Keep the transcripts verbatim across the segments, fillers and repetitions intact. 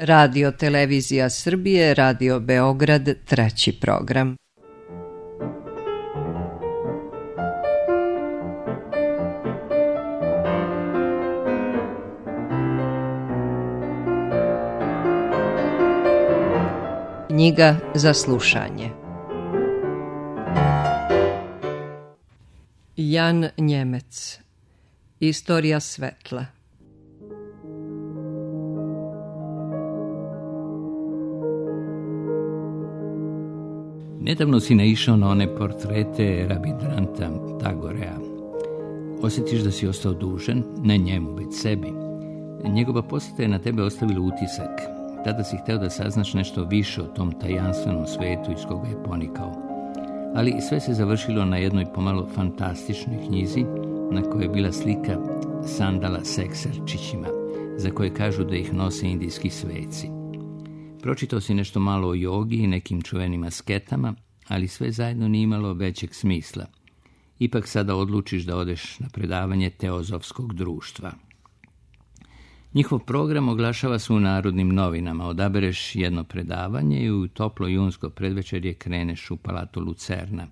Radio Televizija Srbije, Radio Beograd, treći program. Knjiga za slušanje. Jan Njemec. Istorija svetla. Nedavno si naišao na one portrete Rabindranath Tagorea. Osjetiš da si ostao dužan, ne njemu, već sebi. Njegova posjeta je na tebe ostavila utisak. Tada si hteo da saznaš nešto više o tom tajanstvenom svetu iz koga je ponikao. Ali sve se završilo na jednoj pomalo fantastičnoj knjizi na kojoj je bila slika sandala s ekserčićima, za koje kažu da ih nose indijski sveci. Pročitao si nešto malo o jogi i nekim čuvenim asketama, ali sve zajedno nije imalo većeg smisla. Ipak sada odlučiš da odeš na predavanje Teozofskog društva. Njihov program oglašava se u Narodnim novinama. Odabereš jedno predavanje i u toplo junsko predvečerje kreneš u palatu Lucerna.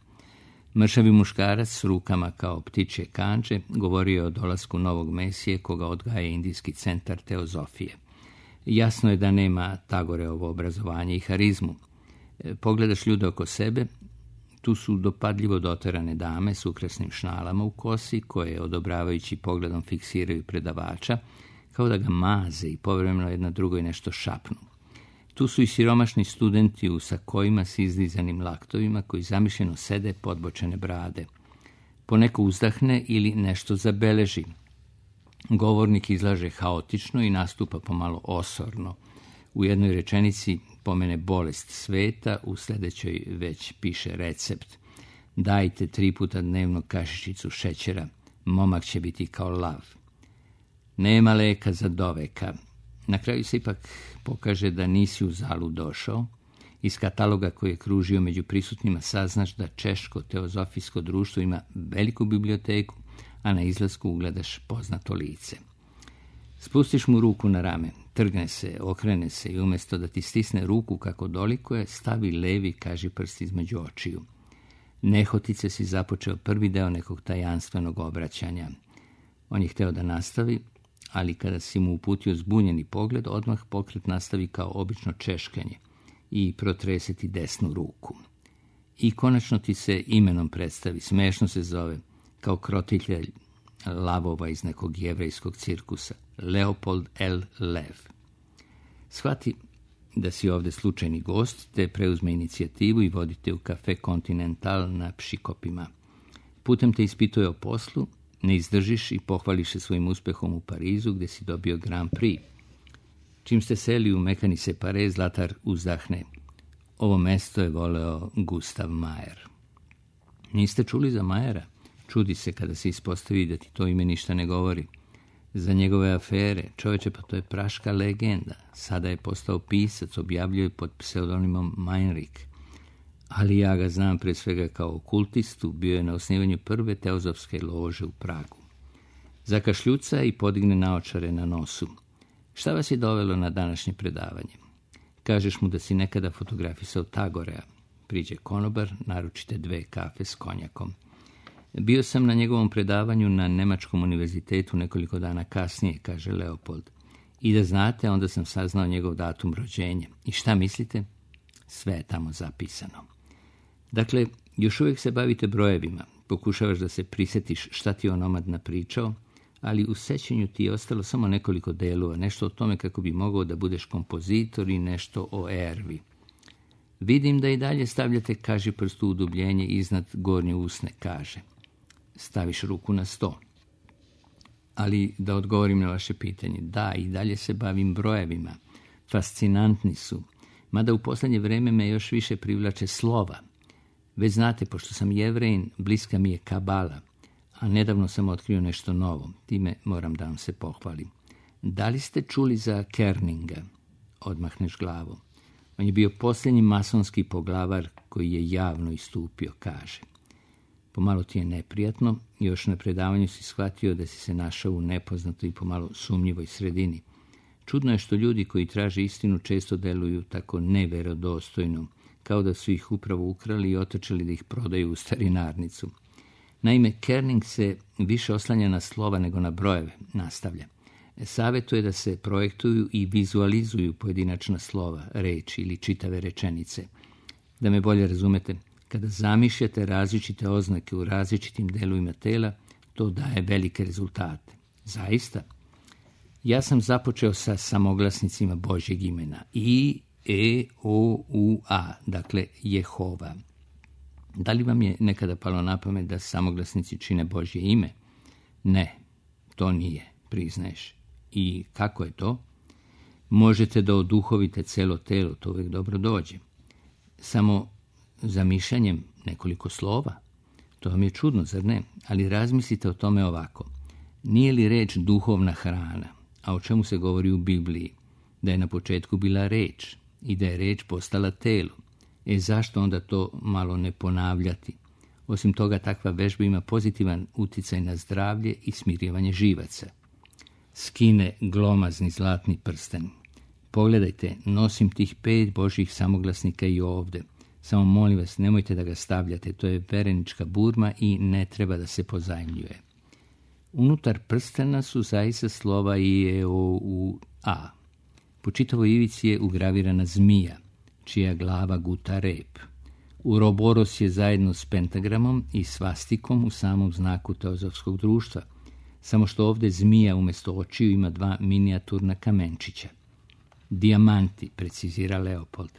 Mršavi muškarac s rukama kao ptičje kandže govorio je o dolasku novog mesije koga odgaja Indijski centar teozofije. Jasno je da nema Tagoreovo obrazovanje i harizmu. Pogledaš ljude oko sebe, tu su dopadljivo doterane dame s ukrasnim šnalama u kosi koje odobravajući pogledom fiksiraju predavača, kao da ga maze i povremeno jedna drugoj nešto šapnu. Tu su i siromašni studenti u sakojima s izlizanim laktovima koji zamišljeno sede podbočene brade. Poneko uzdahne ili nešto zabeleži. Govornik izlaže haotično i nastupa pomalo osorno. U jednoj rečenici pomene bolest sveta, u sljedećoj već piše recept. Dajte tri puta dnevno kašičicu šećera, momak će biti kao lav. Nema leka za doveka. Na kraju se ipak pokaže da nisi u zalu došao. Iz kataloga koji je kružio među prisutnima saznaš da Češko teozofijsko društvo ima veliku biblioteku, a na izlasku ugledaš poznato lice. Spustiš mu ruku na rame, trgne se, okrene se i umjesto da ti stisne ruku kako dolikuje, stavi levi kažiprst između očiju. Nehotice si započeo prvi deo nekog tajanstvenog obraćanja. On je hteo da nastavi, ali kada si mu uputio zbunjeni pogled, odmah pokret nastavi kao obično češkanje i protreseti desnu ruku. I konačno ti se imenom predstavi, smešno se zove, kao krotitelj lavova iz nekog jevrejskog cirkusa, Leopold L. Lev. Shvati da si ovde slučajni gost, te preuzme inicijativu i vodite u kafe Continental na Pšikopima. Putem te ispituje o poslu, ne izdržiš i pohvališ se svojim uspehom u Parizu gdje si dobio Grand Prix. Čim ste seli u mekani separe, Zlatar uzdahne. Ovo mesto je voleo Gustav Majer. Niste čuli za Majera? Čudi se kada se ispostavi da ti to ime ništa ne govori. Za njegove afere, čoveče, pa to je praška legenda. Sada je postao pisac, objavljuje pod pseudonimom Meinrich. Ali ja ga znam pre svega kao okultistu, bio je na osnivanju prve teozofske lože u Pragu. Zakašljuca i podigne naočare na nosu. Šta vas je dovelo na današnje predavanje? Kažeš mu da si nekada fotografisao Tagorea. Priđe konobar, naručite dve kafe s konjakom. Bio sam na njegovom predavanju na Nemačkom univerzitetu nekoliko dana kasnije, kaže Leopold. I da znate, onda sam saznao njegov datum rođenja. I šta mislite? Sve je tamo zapisano. Dakle, još uvijek se bavite brojevima. Pokušavaš da se prisjetiš šta ti je onomad napričao, ali u sećanju ti je ostalo samo nekoliko delova, nešto o tome kako bi mogao da budeš kompozitor i nešto o ervi. Vidim da i dalje stavljate kažiprst u udubljenje iznad gornje usne, kaže. Staviš ruku na sto. Ali da odgovorim na vaše pitanje, da, i dalje se bavim brojevima. Fascinantni su, mada u posljednje vreme me još više privlače slova. Već znate, pošto sam Jevrejin, bliska mi je kabala, a nedavno sam otkrio nešto novo. Time moram da vam se pohvalim. Da li ste čuli za Kerninga? Odmahneš glavom. On je bio posljednji masonski poglavar koji je javno istupio, kaže. Pomalo ti je neprijatno, još na predavanju si shvatio da si se našao u nepoznatoj i pomalo sumnjivoj sredini. Čudno je što ljudi koji traže istinu često deluju tako nevjerodostojno, kao da su ih upravo ukrali i otrčali da ih prodaju u starinarnicu. Naime, Kerning se više oslanja na slova nego na brojeve, nastavlja. Savjetuje da se projektuju i vizualizuju pojedinačna slova, reči ili čitave rečenice. Da me bolje razumete, kada zamišljate različite oznake u različitim delovima tela, to daje velike rezultate. Zaista. Ja sam započeo sa samoglasnicima Božjeg imena. I, E, O, U, A, dakle Jehova. Da li vam je nekada palo na pamet da samoglasnici čine Božje ime? Ne, to nije, priznaješ. I kako je to? Možete da oduhovite celo telo, to uvijek dobro dođe. Samo zamišljanjem nekoliko slova. To vam je čudno, zar ne? Ali razmislite o tome ovako. Nije li reč duhovna hrana, a o čemu se govori u Bibliji? Da je na početku bila reč i da je reč postala telo. E zašto onda to malo ne ponavljati? Osim toga, takva vežba ima pozitivan uticaj na zdravlje i smirivanje živaca. Skine glomazni zlatni prsten. Pogledajte, nosim tih pet Božjih samoglasnika i ovde. Samo molim vas, nemojte da ga stavljate, to je verenička burma i ne treba da se pozajmljuje. Unutar prstena su zaista slova I, E, O, U, A. Po čitavoj ivici je ugravirana zmija, čija glava guta rep. Uroboros je zajedno s pentagramom i svastikom u samom znaku teozofskog društva, samo što ovdje zmija umjesto očiju ima dva minijaturna kamenčića. Dijamanti, precizira Leopold.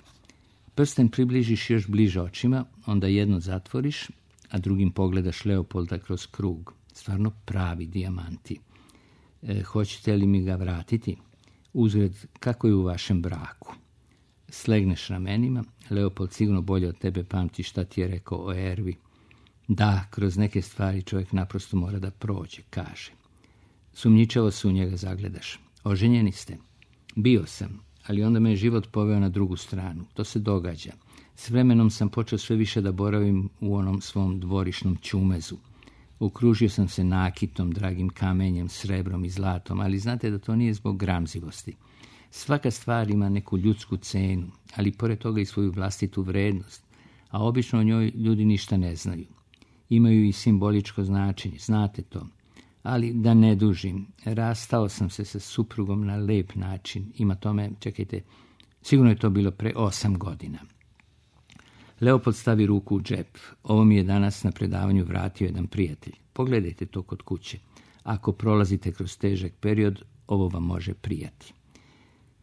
Prsten približiš još bliže očima, onda jedno zatvoriš, a drugim pogledaš Leopolda kroz krug. Stvarno pravi dijamanti. E, hoćete li mi ga vratiti? Uzgled, kako je u vašem braku? Slegneš ramenima, Leopold sigurno bolje od tebe pamti šta ti je rekao o Ervi. Da, kroz neke stvari čovjek naprosto mora da prođe, kaže. Sumnjičavo se u njega zagledaš. Oženjeni ste? Bio sam, ali onda me je život poveo na drugu stranu. To se događa. S vremenom sam počeo sve više da boravim u onom svom dvorišnom ćumezu. Okružio sam se nakitom, dragim kamenjem, srebrom i zlatom, ali znate da to nije zbog gramzivosti. Svaka stvar ima neku ljudsku cenu, ali pored toga i svoju vlastitu vrednost, a obično o njoj ljudi ništa ne znaju. Imaju i simboličko značenje, znate to. Ali da ne dužim, rastao sam se sa suprugom na lep način. Ima tome, čekajte, sigurno je to bilo pre osam godina. Leopold stavi ruku u džep. Ovo mi je danas na predavanju vratio jedan prijatelj. Pogledajte to kod kuće. Ako prolazite kroz težak period, ovo vam može prijati.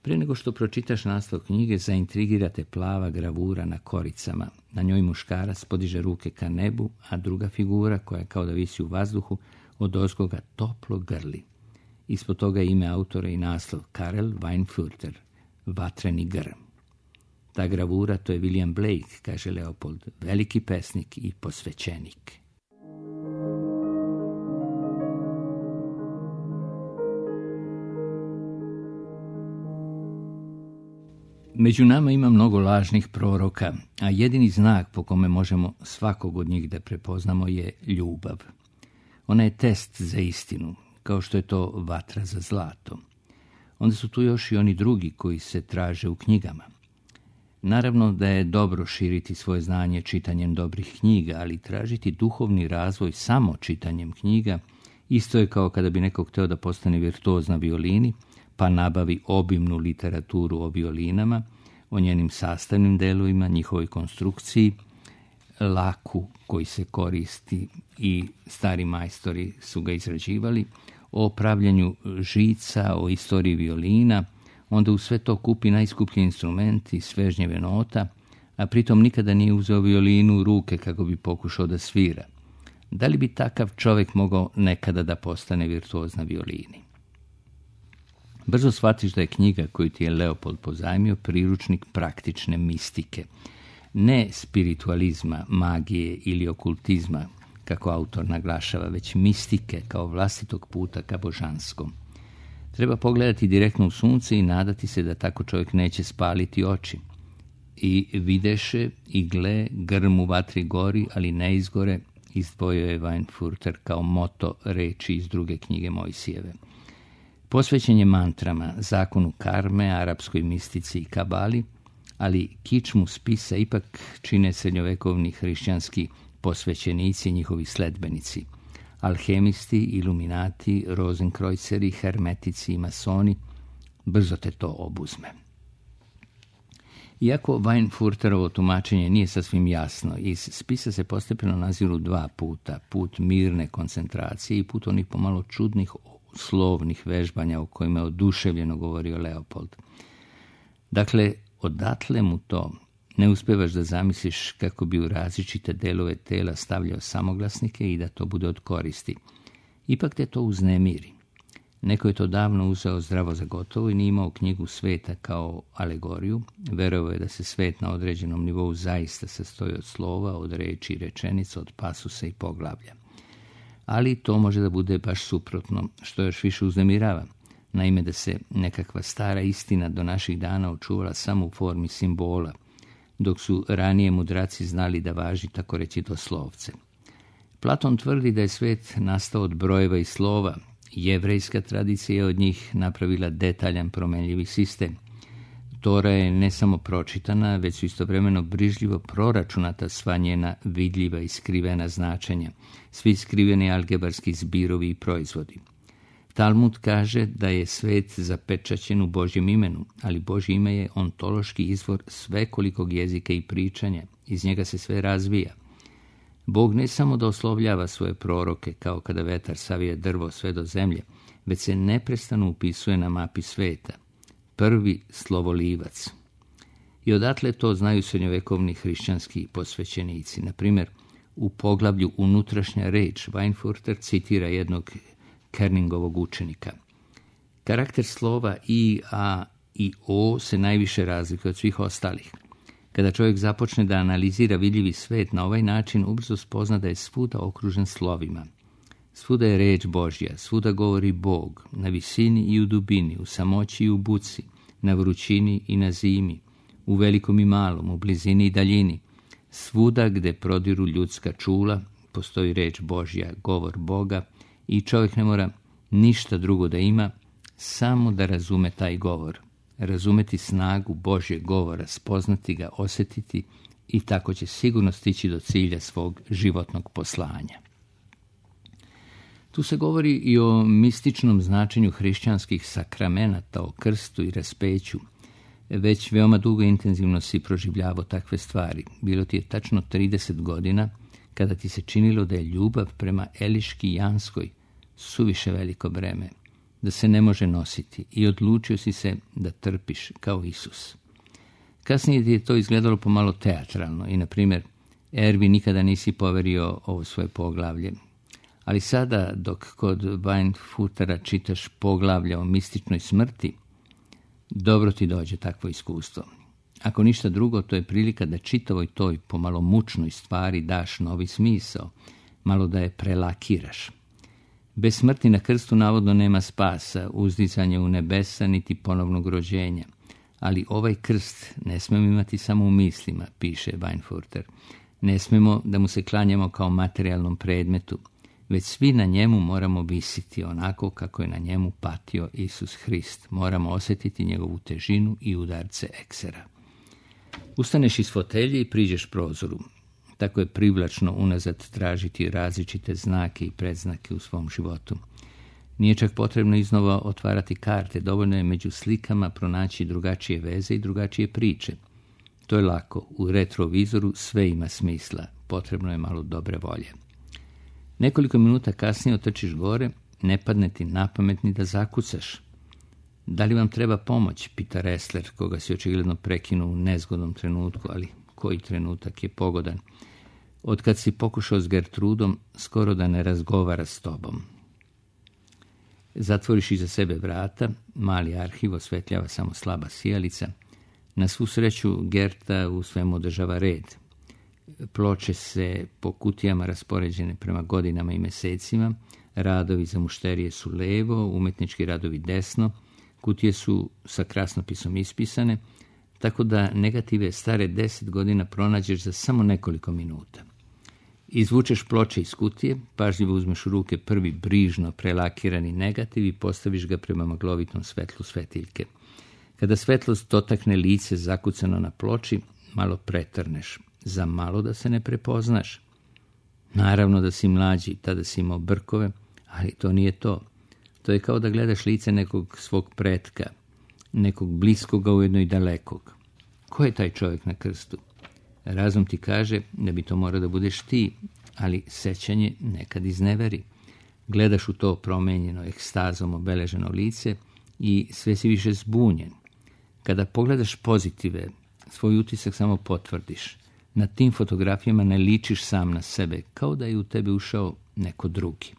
Pre nego što pročitaš naslov knjige, zaintrigirate plava gravura na koricama. Na njoj muškarac podiže ruke ka nebu, a druga figura, koja kao da visi u vazduhu, od ozgoga toplo grli. Ispod toga je ime autora i naslov Karel Weinfurter, vatreni grm. Ta gravura, to je William Blake, kaže Leopold, veliki pesnik i posvećenik. Među nama ima mnogo lažnih proroka, a jedini znak po kome možemo svakog od njih da prepoznamo je ljubav. Ona je test za istinu, kao što je to vatra za zlato. Onda su tu još i oni drugi koji se traže u knjigama. Naravno da je dobro širiti svoje znanje čitanjem dobrih knjiga, ali tražiti duhovni razvoj samo čitanjem knjiga isto je kao kada bi neko hteo da postane virtuoz na violini, pa nabavi obimnu literaturu o violinama, o njenim sastavnim delovima, njihovoj konstrukciji, laku koji se koristi i stari majstori su ga izrađivali, o pravljenju žica, o istoriji violina, onda u sve to kupi najskuplji instrument i svežnjeve nota, a pritom nikada nije uzeo violinu u ruke kako bi pokušao da svira. Da li bi takav čovjek mogao nekada da postane virtuoz na violini? Brzo shvatiš da je knjiga koju ti je Leopold pozajmio priručnik praktične mistike, ne spiritualizma, magije ili okultizma, kako autor naglašava, već mistike kao vlastitog puta ka božanskom. Treba pogledati direktno u sunce i nadati se da tako čovjek neće spaliti oči. I videše i gle, grm u vatri gori, ali ne izgore, izdvojio je Weinfurter kao moto reči iz druge knjige Mojsijeve. Posvećen je mantrama, zakonu karme, arapskoj mistici i kabali, ali kičmu spisa ipak čine srednjovekovni hrišćanski posvećenici i njihovi sledbenici, alhemisti, iluminati, rozenkrojceri, hermetici i masoni. Brzo te to obuzme. Iako Weinfurterovo tumačenje nije sasvim jasno, iz spisa se postepeno naziru dva puta, put mirne koncentracije i put onih pomalo čudnih slovnih vežbanja o kojima je oduševljeno govorio Leopold. Dakle, odatle mu to ne uspevaš da zamisliš kako bi u različite delove tela stavljao samoglasnike i da to bude od koristi. Ipak te to uznemiri. Neko je to davno uzeo zdravo za gotovo i nije imao knjigu sveta kao alegoriju. Verovao je da se svet na određenom nivou zaista sastoji od slova, od reči i rečenica, od pasusa i poglavlja. Ali to može da bude baš suprotno, što još više uznemirava. Naime, da se nekakva stara istina do naših dana očuvala samo u formi simbola, dok su ranije mudraci znali da važi tako reći doslovce. Platon tvrdi da je svet nastao od brojeva i slova. Jevrejska tradicija je od njih napravila detaljan promenljivi sistem. Tora je ne samo pročitana, već su istovremeno brižljivo proračunata sva njena vidljiva i skrivena značenja, svi skriveni algebarski zbirovi i proizvodi. Talmud kaže da je svet zapečaćen u Božjem imenu, ali Božje ime je ontološki izvor svekolikog jezika i pričanja, iz njega se sve razvija. Bog ne samo da oslovljava svoje proroke, kao kada vetar savije drvo sve do zemlje, već se neprestano upisuje na mapi sveta. Prvi slovolivac. I odatle to znaju srednjovekovni hrišćanski posvećenici. Na primjer, u poglavlju Unutrašnja reč Weinfurter citira jednog Kerningovog učenika. Karakter slova i, a i o se najviše razlikuje od svih ostalih. Kada čovjek započne da analizira vidljivi svet na ovaj način, ubrzo spozna da je svuda okružen slovima. Svuda je reč Božja, svuda govori Bog, na visini i u dubini, u samoći i u buci, na vrućini i na zimi, u velikom i malom, u blizini i daljini. Svuda gde prodiru ljudska čula, postoji reč Božja, govor Boga, i čovjek ne mora ništa drugo da ima, samo da razume taj govor. Razumeti snagu Božjeg govora, spoznati ga, osjetiti i tako će sigurno stići do cilja svog životnog poslanja. Tu se govori i o mističnom značenju hrišćanskih sakramenata, o krstu i raspeću. Već veoma dugo intenzivno si proživljavao takve stvari. Bilo ti je tačno trideset godina kada ti se činilo da je ljubav prema Eliški Janskoj suviše veliko breme, da se ne može nositi, i odlučio si se da trpiš kao Isus. Kasnije ti je to izgledalo pomalo teatralno i, na primjer, Ervi nikada nisi poverio ovo svoje poglavlje. Ali sada, dok kod Weinfurtera čitaš poglavlja o mističnoj smrti, dobro ti dođe takvo iskustvo. Ako ništa drugo, to je prilika da čitavoj toj pomalo mučnoj stvari daš novi smisao, malo da je prelakiraš. Bez smrti na krstu navodno nema spasa, uzdizanja u nebesa niti ponovnog rođenja. Ali ovaj krst ne smemo imati samo u mislima, piše Weinfurter. Ne smemo da mu se klanjamo kao materijalnom predmetu, već svi na njemu moramo visiti onako kako je na njemu patio Isus Hrist. Moramo osjetiti njegovu težinu i udarce eksera. Ustaneš iz fotelje i priđeš prozoru. Tako je privlačno unazad tražiti različite znake i predznake u svom životu. Nije čak potrebno iznova otvarati karte, dovoljno je među slikama pronaći drugačije veze i drugačije priče. To je lako, u retrovizoru sve ima smisla, potrebno je malo dobre volje. Nekoliko minuta kasnije otrčiš gore, ne padne ti na pamet ni da zakucaš. Da li vam treba pomoć, pita Ressler, koga si očigledno prekinuo u nezgodnom trenutku, ali koji trenutak je pogodan. Otkad si pokušao s Gertrudom, skoro da ne razgovara s tobom. Zatvoriš iza sebe vrata, mali arhiv osvetljava samo slaba sijalica. Na svu sreću Gerta u svemu održava red. Ploče se po kutijama raspoređene prema godinama i mesecima, radovi za mušterije su levo, umetnički radovi desno, kutije su sa krasnopisom ispisane, tako da negative stare deset godina pronađeš za samo nekoliko minuta. Izvučeš ploče iz kutije, pažljivo uzmeš u ruke prvi brižno prelakirani negativ i postaviš ga prema maglovitom svetlu svetiljke. Kada svetlost dotakne lice zakucano na ploči, malo pretrneš, za malo da se ne prepoznaš. Naravno da si mlađi, tada si imao brkove, ali to nije to. To je kao da gledaš lice nekog svog pretka, nekog bliskoga, ujedno i dalekog. Ko je taj čovjek na krstu? Razum ti kaže da bi to morao da budeš ti, ali sećanje nekad izneveri. Gledaš u to promenjeno ekstazom obeleženo lice i sve si više zbunjen. Kada pogledaš pozitive, svoj utisak samo potvrdiš. Na tim fotografijama ne ličiš sam na sebe, kao da je u tebe ušao neko drugi.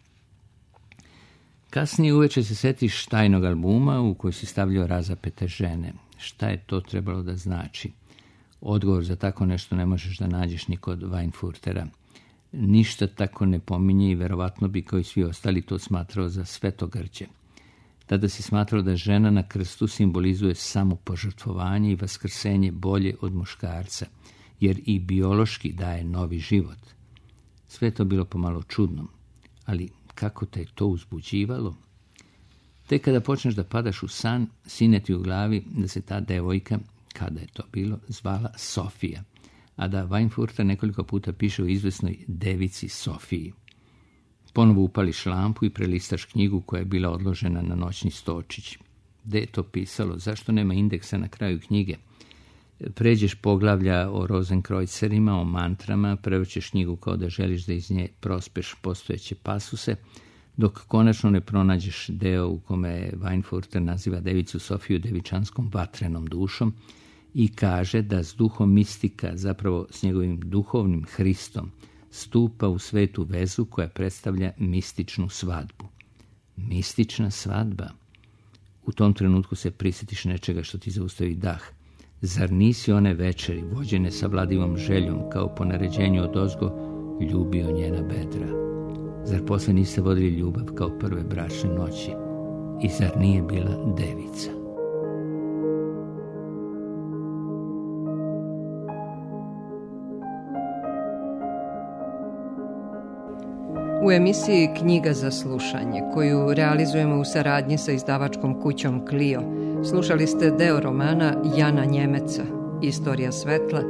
Kasnije uveče se setiš tajnog albuma u koji si stavljao razapete žene. Šta je to trebalo da znači? Odgovor za tako nešto ne možeš da nađeš ni kod Weinfurtera. Ništa tako ne pominje i verovatno bi kao i svi ostali to smatrao za svetogrđe. Tada si smatrao da žena na krstu simbolizuje samo požrtvovanje i vaskrsenje bolje od muškarca, jer i biološki daje novi život. Sve to bilo pomalo čudno, ali kako te je to uzbuđivalo? Tek kada počneš da padaš u san, sine ti u glavi da se ta devojka, kada je to bilo, zvala Sofija, a da Weinfurter nekoliko puta piše o izvesnoj devici Sofiji. Ponovo upališ lampu i prelistaš knjigu koja je bila odložena na noćni stočić. Gde je to pisalo? Zašto nema indeksa na kraju knjige? Pređeš poglavlja o Rozenkrojcerima, o mantrama, prevrćeš knjigu kao da želiš da iz nje prospeš postojeće pasuse, dok konačno ne pronađeš deo u kome Weinfurter naziva devicu Sofiju devičanskom vatrenom dušom i kaže da s duhom mistika, zapravo s njegovim duhovnim Hristom, stupa u svetu vezu koja predstavlja mističnu svadbu. Mistična svadba. U tom trenutku se prisjetiš nečega što ti zaustavi dah. Zar nisi one večeri, vođene sa vladivom željom, kao po naređenju odozgo, ljubio njena bedra? Zar posle niste vodili ljubav kao prve bračne noći? I zar nije bila devica? U emisiji Knjiga za slušanje, koju realizujemo u saradnji sa izdavačkom kućom Clio, slušali ste deo romana Jana Njemeca, Istorija svetla,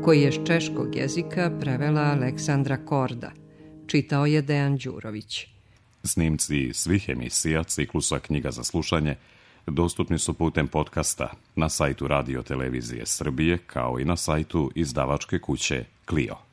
koji je s češkog jezika prevela Aleksandra Korda. Čitao je Dejan Đurović. Snimci svih emisija ciklusa Knjiga za slušanje dostupni su putem podcasta na sajtu Radio Televizije Srbije, kao i na sajtu izdavačke kuće Clio.